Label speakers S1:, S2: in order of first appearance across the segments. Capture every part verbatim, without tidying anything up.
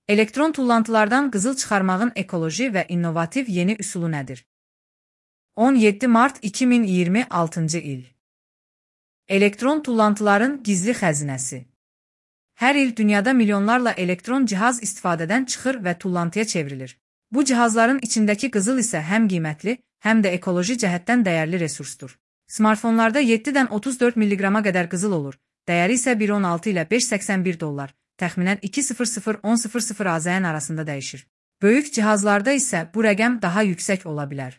S1: Elektron tullantılardan qızıl çıxarmağın ekoloji və innovativ yeni üsulu nədir? on yeddi mart iki min iyirmi altıncı il. Elektron tullantıların gizli xəzinəsi. Hər il dünyada milyonlarla elektron cihaz istifadədən çıxır və tullantıya çevrilir. Bu cihazların içindəki qızıl isə həm qiymətli, həm də ekoloji cəhətdən dəyərli resursdur. Smartfonlarda yeddidən otuz dörd milliqrama qədər qızıl olur, dəyəri isə bir on altı ilə beş səksən bir dollar, təxminən iki min on AZN arasında dəyişir. Böyük cihazlarda isə bu rəqəm daha yüksək ola bilər.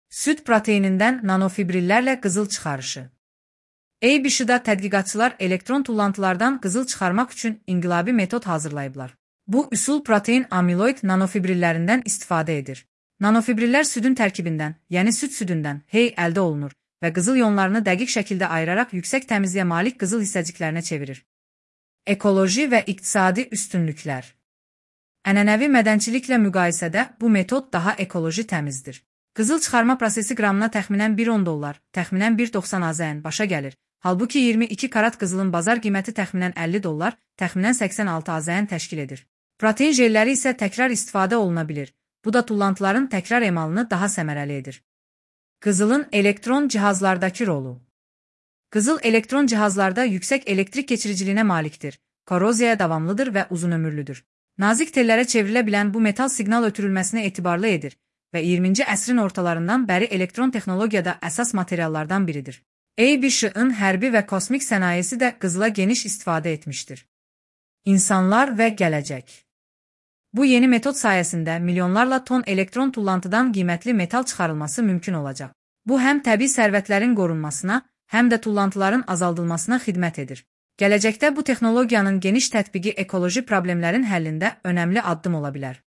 S1: Süd proteinindən nanofibrillərlə qızıl çıxarışı. A B S-da tədqiqatçılar elektron tullantılardan qızıl çıxarmaq üçün inqilabi metod hazırlayıblar. Bu üsul protein amiloid nanofibrillərindən istifadə edir. Nanofibrillər südün tərkibindən, yəni süd südündən hey əldə olunur və qızıl iyonlarını dəqiq şəkildə ayıraraq yüksək təmizliyə malik qızıl hissəciklərinə çevirir. Ekoloji və iqtisadi üstünlüklər. Ənənəvi mədənçiliklə müqayisədə bu metod daha ekoloji təmizdir. Qızıl çıxarma prosesi qramına təxminən bir on dollar, təxminən bir doxsan AZN başa gəlir. Halbuki iyirmi iki karat qızılın bazar qiyməti təxminən əlli dollar, təxminən səksən altı AZN təşkil edir. Protein jelləri isə təkrar istifadə oluna bilir. Bu da tullantıların təkrar emalını daha səmərəli edir. Qızılın elektron cihazlardakı rolu. Qızıl elektron cihazlarda yüksək elektrik keçiriciliyinə malikdir, koroziyaya davamlıdır və uzunömürlüdür. Nazik tellərə çevrilə bilən bu metal siqnal ötürülməsinə etibarlı edir və iyirminci əsrin ortalarından bəri elektron texnologiyada əsas materiallardan biridir. A B S-ın hərbi və kosmik sənayesi də qızıla geniş istifadə etmişdir. İnsanlar və gələcək. Bu yeni metod sayəsində milyonlarla ton elektron tullantıdan qiymətli metal çıxarılması mümkün olacaq. Bu həm təbii sərvətlərin qorunmasına, həm də tullantıların azaldılmasına xidmət edir. Gələcəkdə bu texnologiyanın geniş tətbiqi ekoloji problemlərin həllində önəmli addım ola bilər.